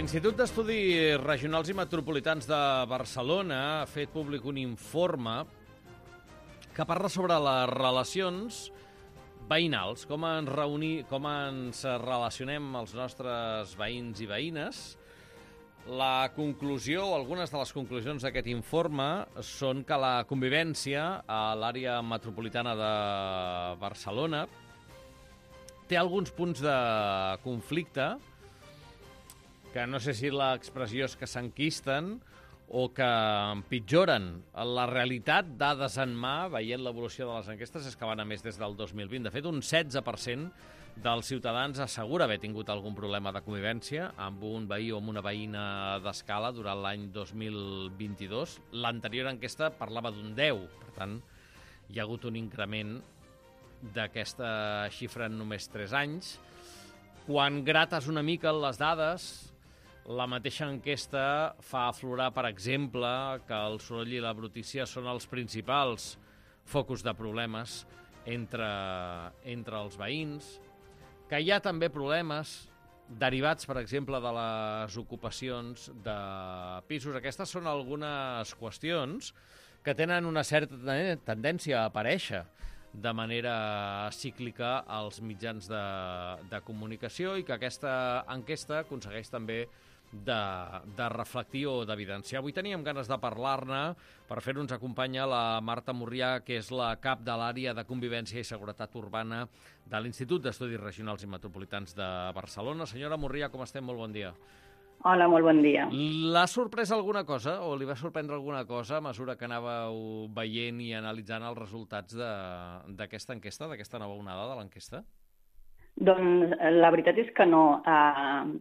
L'Institut d'Estudis Regionals i Metropolitans de Barcelona ha fet públic un informe que parla sobre les relacions veïnals, com ens relacionem els nostres veïns i veïnes. La conclusió, o algunes de les conclusions d'aquest informe, són que la convivència a l'àrea metropolitana de Barcelona té alguns punts de conflicte que no sé si l'expressió és que s'enquisten o que empitjoren. La realitat, dades en mà, veient l'evolució de les enquestes, és que van a més des del 2020. De fet, un 16% dels ciutadans assegura haver tingut algun problema de convivència amb un veí o amb una veïna d'escala durant l'any 2022. L'anterior enquesta parlava d'un 10%. Per tant, hi ha hagut un increment d'aquesta xifra en només 3 anys. Quan grates una mica les dades, la mateixa enquesta fa aflorar, per exemple, que el soroll i la brutícia són els principals focus de problemes entre els veïns, que hi ha també problemes derivats, per exemple, de les ocupacions de pisos. Aquestes són algunes qüestions que tenen una certa tendència a aparèixer de manera cíclica als mitjans de comunicació i que aquesta enquesta aconsegueix també de reflectir o d'evidenciar. Avui teníem ganes de parlar-ne. Per fer-ho ens acompanya la Marta Murrià, que és la cap de l'àrea de Convivència i Seguretat Urbana de l'Institut d'Estudis Regionals i Metropolitans de Barcelona. Senyora Murrià, com estem? Molt bon dia. Hola, molt bon dia. L'ha sorprès alguna cosa o li va sorprendre alguna cosa a mesura que anàveu veient i analitzant els resultats d'aquesta enquesta, d'aquesta nova onada de l'enquesta? Doncs la veritat és que no.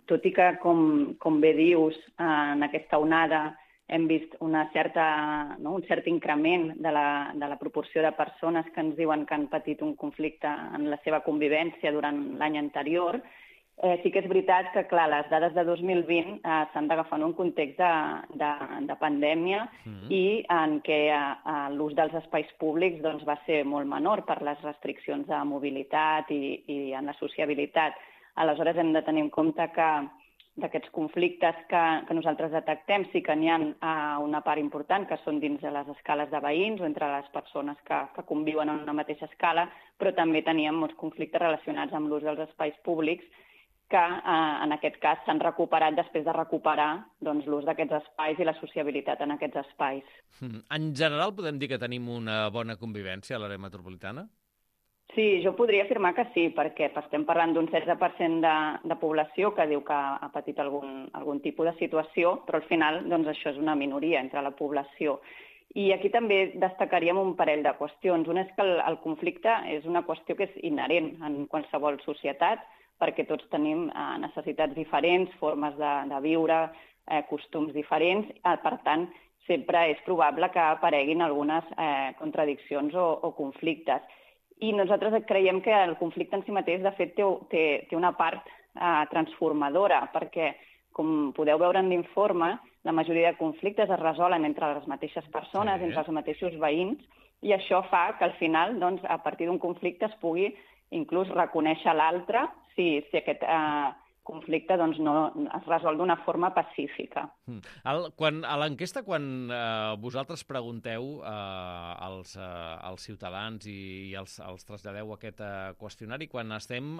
Tot i que, com bé dius, en aquesta onada hem vist un cert increment de la proporció de persones que ens diuen que han patit un conflicte en la seva convivència durant l'any anterior, sí que és veritat que, clar, les dades de 2020 s'han d'agafar en un context de pandèmia i en què l'ús dels espais públics doncs, va ser molt menor per les restriccions de mobilitat i en la sociabilitat. Aleshores, hem de tenir en compte que d'aquests conflictes que nosaltres detectem sí que n'hi ha una part important que són dins de les escales de veïns o entre les persones que conviuen en una mateixa escala, però també teníem molts conflictes relacionats amb l'ús dels espais públics que en aquest cas s'han recuperat després de recuperar doncs, l'ús d'aquests espais i la sociabilitat en aquests espais. En general podem dir que tenim una bona convivència a l'àrea metropolitana? Sí, jo podria afirmar que sí, perquè estem parlant d'un 16% de població que diu que ha patit algun tipus de situació, però al final doncs, això és una minoria entre la població. I aquí també destacaríem un parell de qüestions. Una és que el conflicte és una qüestió que és inherent en qualsevol societat, perquè tots tenim necessitats diferents, formes de viure, costums diferents. Per tant, sempre és probable que apareguin algunes contradiccions o conflictes. I nosaltres creiem que el conflicte en si mateix, de fet, té una part transformadora, perquè, com podeu veure en l'informe, la majoria de conflictes es resolen entre les mateixes persones, entre els mateixos veïns, i això fa que al final, doncs, a partir d'un conflicte es pugui inclús reconèixer l'altre si aquest conflicte doncs, no es resol d'una forma pacífica. A l'enquesta, quan vosaltres pregunteu als ciutadans i els traslladeu aquest qüestionari, quan estem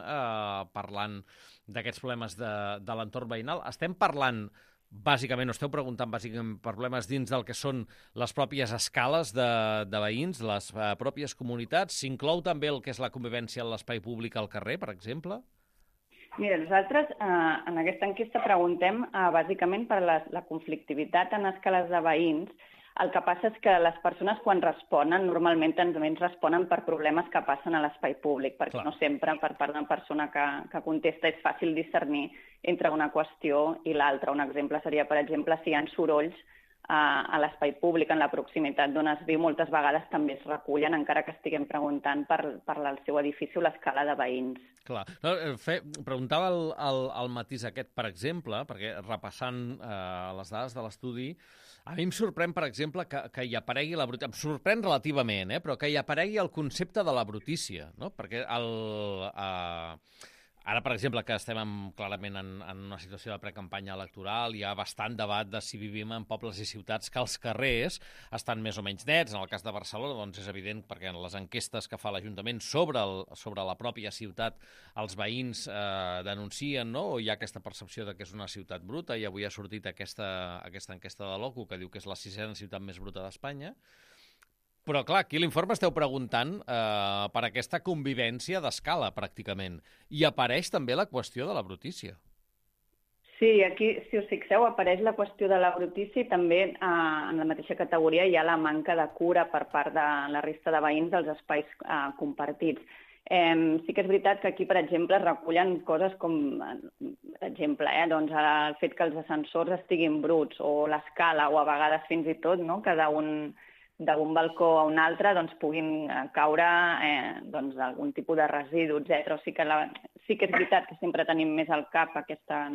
parlant d'aquests problemes de l'entorn veïnal, estem parlant bàsicament, o esteu preguntant bàsicament per problemes dins del que són les pròpies escales de veïns, les pròpies comunitats? S'inclou també el que és la convivència en l'espai públic al carrer, per exemple? Mira, nosaltres en aquesta enquesta preguntem bàsicament per la conflictivitat en escales de veïns. El que passa és que les persones quan responen normalment també ens responen per problemes que passen a l'espai públic, perquè no sempre per part d'una persona que contesta és fàcil discernir entre una qüestió i l'altra. Un exemple seria, per exemple, si hi ha sorolls a l'espai públic, en la proximitat d'on es viu, moltes vegades també es recullen, encara que estiguem preguntant per el seu edifici o l'escala de veïns. Clar. Preguntava el matís aquest, per exemple, perquè repassant les dades de l'estudi, a mi em sorprèn, per exemple, que hi aparegui la brutícia. Em sorprèn relativament, però que hi aparegui el concepte de la brutícia, no? Perquè Ara, per exemple, que estem clarament en una situació de precampanya electoral, hi ha bastant debat de si vivim en pobles i ciutats que els carrers estan més o menys nets. En el cas de Barcelona, doncs és evident, perquè en les enquestes que fa l'Ajuntament sobre la pròpia ciutat els veïns denuncien, no? O hi ha aquesta percepció de que és una ciutat bruta, i avui ha sortit aquesta enquesta de l'OCU que diu que és la 6ª ciutat més bruta d'Espanya. Però, clar, aquí a l'informe esteu preguntant per aquesta convivència d'escala, pràcticament. I apareix també la qüestió de la brutícia. Sí, aquí, si us fixeu, apareix la qüestió de la brutícia i també en la mateixa categoria hi ha la manca de cura per part de la resta de veïns dels espais compartits. Sí que és veritat que aquí, per exemple, es recullen coses com, per exemple, doncs el fet que els ascensors estiguin bruts o l'escala o a vegades fins i tot, no?, que d'un balcó a un altre doncs, puguin caure doncs, algun tipus de residu, etc. O sigui que sí que és veritat que sempre tenim més al cap aquesta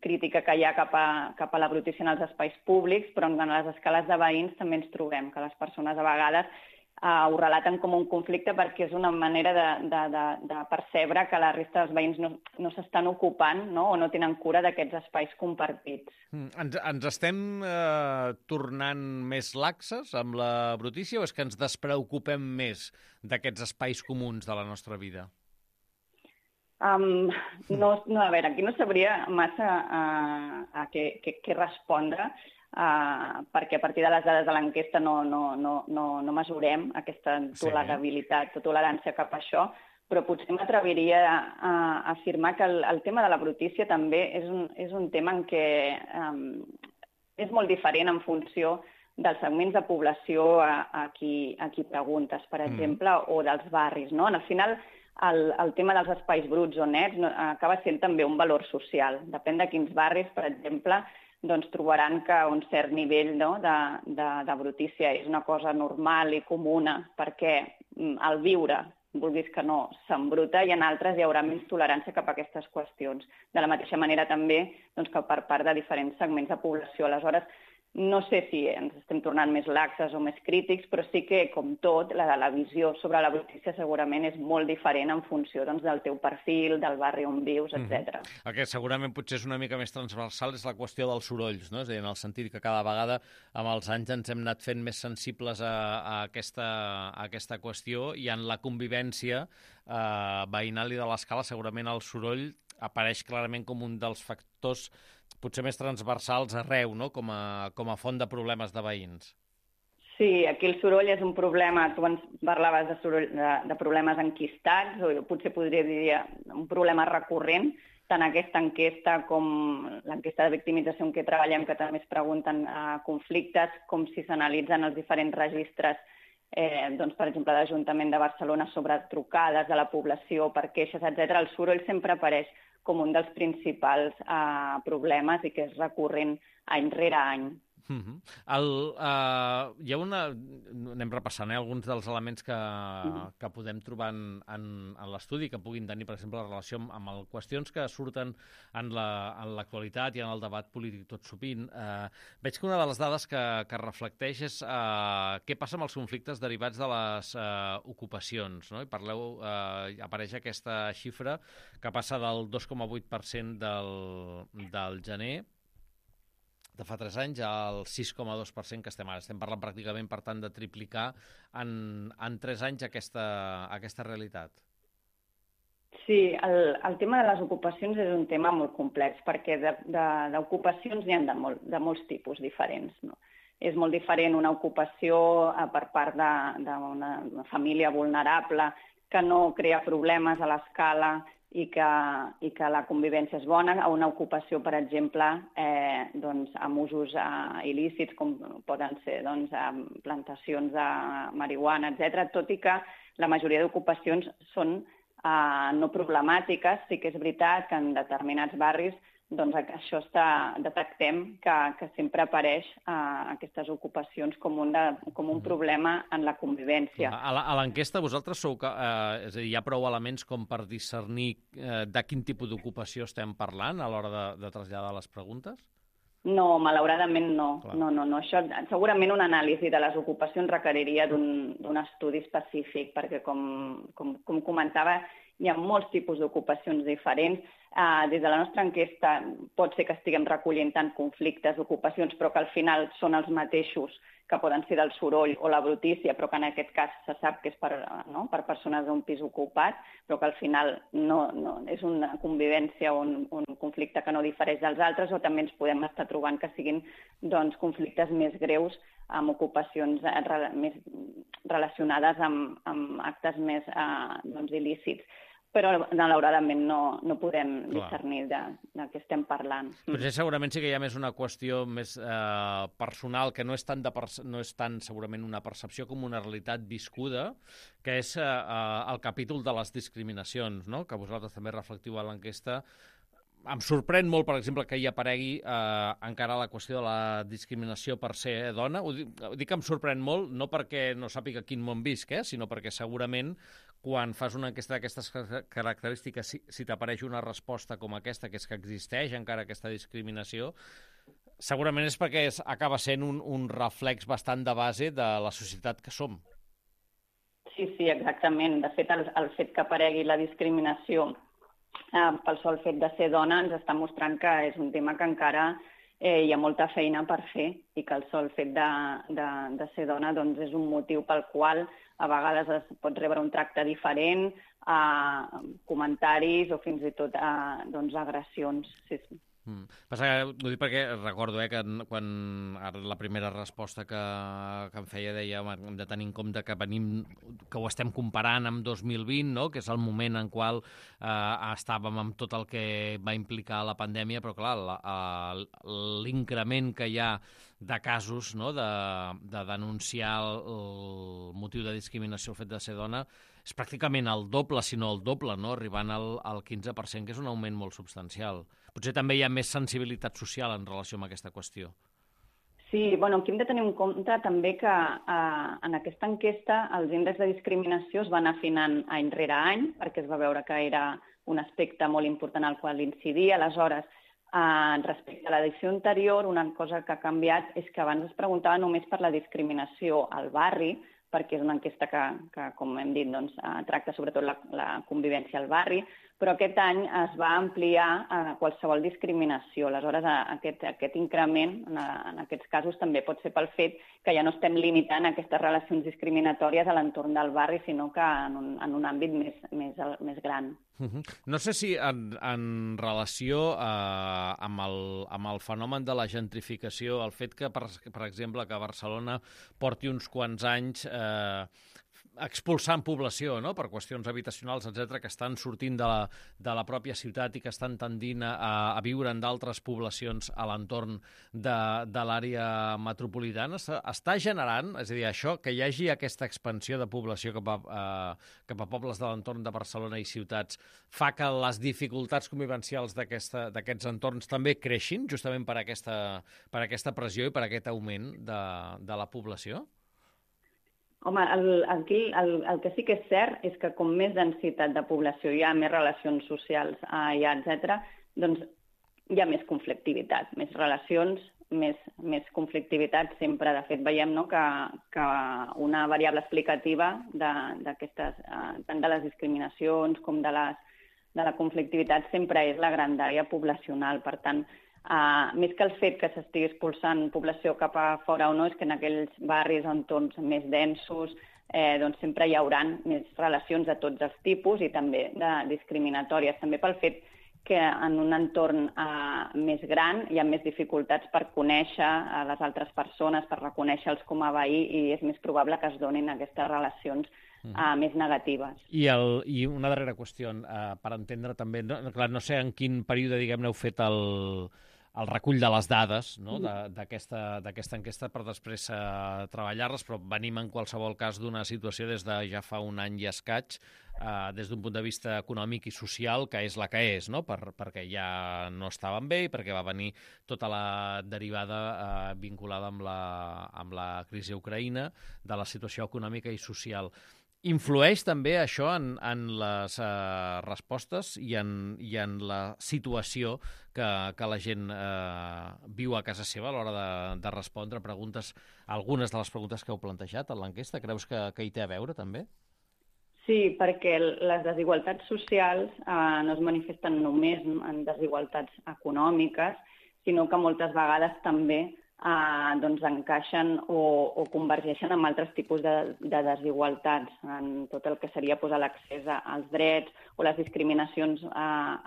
crítica que hi ha cap a la brutícia en els espais públics, però en les escales de veïns també ens trobem que les persones a vegades ho relaten com un conflicte perquè és una manera de percebre que la resta dels veïns no s'estan ocupant, no? O no tenen cura d'aquests espais compartits. Ens estem tornant més laxes amb la brutícia o és que ens despreocupem més d'aquests espais comuns de la nostra vida? A veure, aquí no sabria massa a què respondre, perquè a partir de les dades de l'enquesta no mesurem aquesta tolerabilitat o tolerància cap a això, però potser m'atreviria a afirmar que el tema de la brutícia també és un tema en què és molt diferent en funció dels segments de població a qui preguntes, per exemple, o dels barris, no? Al final, el tema dels espais bruts o nets acaba sent també un valor social. Depèn de quins barris, per exemple, doncs trobaran que un cert nivell de brutícia és una cosa normal i comuna perquè al viure, vulguis que no, s'embruta, i en altres hi haurà menys tolerància cap a aquestes qüestions. De la mateixa manera també que per part de diferents segments de població. Aleshores, no sé si ens estem tornant més laxes o més crítics, però sí que, com tot, la visió sobre la brutícia segurament és molt diferent en funció del teu perfil, del barri on vius, etc. El que segurament potser és una mica més transversal és la qüestió dels sorolls, no? És a dir, en el sentit que cada vegada amb els anys ens hem anat fent més sensibles a aquesta qüestió, i en la convivència veïnal i de l'escala segurament el soroll apareix clarament com un dels factors potser més transversals arreu, no? Com a font de problemes de veïns. Sí, aquí el soroll és un problema. Tu ens parlaves de problemes enquistats, o potser podria dir un problema recurrent, tant aquesta enquesta com l'enquesta de victimització en què treballem, que també es pregunten conflictes, com si s'analitzen els diferents registres, per exemple, de l'Ajuntament de Barcelona sobre trucades de la població per queixes, etc. El soroll sempre apareix com un dels principals problemes i que és recurrent any rere any. Anem repassant alguns dels elements que podem trobar en l'estudi, que puguin tenir, per exemple, la relació amb qüestions que surten en l'actualitat i en el debat polític tot sovint. Veig que una de les dades que reflecteix és què passa amb els conflictes derivats de les ocupacions, no? I apareix aquesta xifra que passa del 2,8% del gener de fa 3 anys al 6,2% que estem ara. Estem parlant pràcticament, per tant, de triplicar en 3 anys aquesta realitat. Sí, el tema de les ocupacions és un tema molt complex, perquè d'ocupacions n'hi ha de molts tipus diferents, no? És molt diferent una ocupació per part d'una família vulnerable que no crea problemes a l'escala i que la convivència és bona, a una ocupació, per exemple, amb usos il·lícits, com poden ser plantacions de marihuana, etc. Tot i que la majoria d'ocupacions són no problemàtiques, sí que és veritat que en determinats barris això detectem que sempre apareix aquestes ocupacions com un problema en la convivència. A l'enquesta vosaltres és a dir, hi ha prou elements com per discernir de quin tipus d'ocupació estem parlant a l'hora de traslladar les preguntes? No, malauradament no. No. Això, segurament una anàlisi de les ocupacions requeriria d'un estudi específic, perquè com comentava, hi ha molts tipus d'ocupacions diferents. Des de la nostra enquesta pot ser que estiguem recollint tant conflictes d'ocupacions, però que al final són els mateixos que poden ser del soroll o la brutícia, però que en aquest cas se sap que és per persones d'un pis ocupat, però que al final no és una convivència o un conflicte que no difereix dels altres, o també ens podem estar trobant que siguin conflictes més greus amb ocupacions més relacionades amb actes més il·lícits. Però malauradament no podem discernir de què estem parlant. Potser segurament sí que hi ha més una qüestió més personal, que no és tant segurament una percepció com una realitat viscuda, que és el capítol de les discriminacions, no? Que vosaltres també reflectiu a l'enquesta. Em sorprèn molt, per exemple, que hi aparegui encara la qüestió de la discriminació per ser dona. Ho dic que em sorprèn molt, no perquè no sàpiga quin món visc, sinó perquè segurament quan fas una enquesta d'aquestes característiques, si t'apareix una resposta com aquesta, que és que existeix encara aquesta discriminació, segurament és perquè acaba sent un reflex bastant de base de la societat que som. Sí, exactament. De fet, el fet que aparegui la discriminació pel sol fet de ser dona ens està mostrant que és un tema que encara hi ha molta feina per fer i que el sol fet de ser dona és un motiu pel qual a vegades es pot rebre un tracte diferent, comentaris o fins i tot agressions. Sí. Passa que, ho dic perquè recordo que quan la primera resposta que em feia deia hem de tenir en compte que ho estem comparant amb 2020, no? Que és el moment en qual estàvem amb tot el que va implicar la pandèmia, però clar, l'increment que hi ha de casos, no? de denunciar el motiu de discriminació, el fet de ser dona, és pràcticament el doble, si no el doble, no? Arribant al 15%, que és un augment molt substancial. Potser també hi ha més sensibilitat social en relació amb aquesta qüestió. Sí, aquí hem de tenir en compte també que en aquesta enquesta els índexs de discriminació es van afinant any rere any, perquè es va veure que era un aspecte molt important al qual incidir. Aleshores, respecte a l'edició anterior, una cosa que ha canviat és que abans es preguntava només per la discriminació al barri, perquè és una enquesta que com hem dit, tracta sobretot la convivència al barri, però aquest any es va ampliar a qualsevol discriminació. Aleshores, aquest increment, en aquests casos, també pot ser pel fet que ja no estem limitant aquestes relacions discriminatòries a l'entorn del barri, sinó que en un àmbit més gran. No sé si en relació amb el fenomen de la gentrificació, el fet que, per exemple, que Barcelona porti uns quants anys expulsant població, no? Per qüestions habitacionals, etc, que estan sortint de la pròpia ciutat i que estan tendint a viure en d'altres poblacions a l'entorn de l'àrea metropolitana, està generant, és a dir, això, que hi hagi aquesta expansió de població cap a pobles de l'entorn de Barcelona i ciutats, fa que les dificultats convivencials d'aquests entorns també creixin, justament per aquesta pressió i per aquest augment de la població? Home, aquí el que sí que és cert és que com més densitat de població hi ha, més relacions socials hi ha, etc., doncs hi ha més conflictivitat, més relacions, més conflictivitat sempre. De fet, veiem que una variable explicativa d'aquestes, tant de les discriminacions com de la conflictivitat sempre és la grandària poblacional. Per tant, més que el fet que s'estigui expulsant població cap a fora o no, és que en aquells barris o entorns més densos sempre hi haurà més relacions de tots els tipus i també discriminatòries. També pel fet que en un entorn més gran hi ha més dificultats per conèixer les altres persones, per reconèixer-los com a veí, i és més probable que es donin aquestes relacions més negatives. I una darrera qüestió, per entendre també, no sé en quin període, diguem-ne, heu fet el recull de les dades, no? d'aquesta enquesta per després treballar-les, però venim en qualsevol cas d'una situació des de ja fa un any i escaig, des d'un punt de vista econòmic i social, que és la que és, no? Perquè ja no estaven bé i perquè va venir tota la derivada vinculada amb la crisi a Ucraïna, de la situació econòmica i social. Influeix també això en les respostes i en la situació que la gent viu a casa seva a l'hora de respondre preguntes, algunes de les preguntes que heu plantejat en l'enquesta? Creus que hi té a veure també? Sí, perquè les desigualtats socials no es manifesten només en desigualtats econòmiques, sinó que moltes vegades també encaixen o convergeixen amb altres tipus de desigualtats, en tot el que seria l'accés als drets o les discriminacions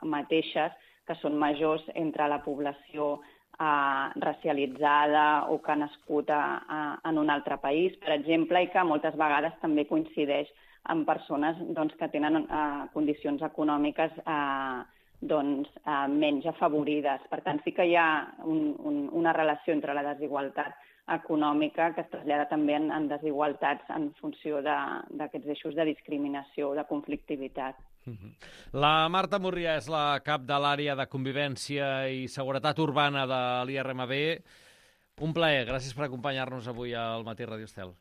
mateixes, que són majors entre la població racialitzada o que ha nascut en un altre país, per exemple, i que moltes vegades també coincideix amb persones que tenen condicions econòmiques menys afavorides. Per tant, sí que hi ha una relació entre la desigualtat econòmica que es trasllada també en desigualtats en funció d'aquests eixos de discriminació o de conflictivitat. La Marta Murrià és la cap de l'àrea de convivència i seguretat urbana de l'IRMB. Un plaer, gràcies per acompanyar-nos avui al Matí Ràdio Estel.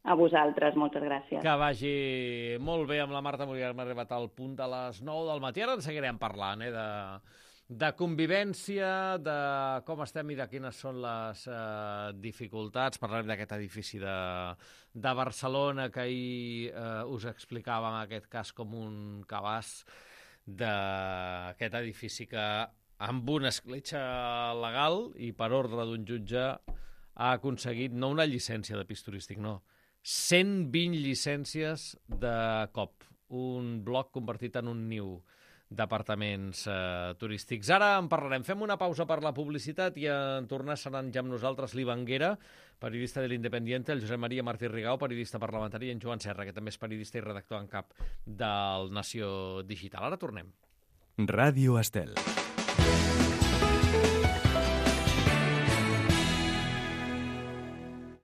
A vosaltres, moltes gràcies. Que vagi molt bé amb la Marta Murrià. Hem arribat al punt de les 9 del matí. Ara en seguirem parlant, de convivència, de com estem i de quines són les dificultats. Parlarem d'aquest edifici de Barcelona que ahir us explicava en aquest cas com un cabàs d'aquest edifici que amb una escletxa legal i per ordre d'un jutge ha aconseguit no una llicència de pis turístic, no, 120 llicències de cop. Un bloc convertit en un niu d'apartaments turístics. Ara en parlarem. Fem una pausa per la publicitat i en tornar seran ja amb nosaltres l'Ivanguera, periodista de l'Independiente, el Josep Maria Martí Rigau, periodista parlamentari, i en Joan Serra, que també és periodista i redactor en cap del Nació Digital. Ara tornem. Ràdio Estel.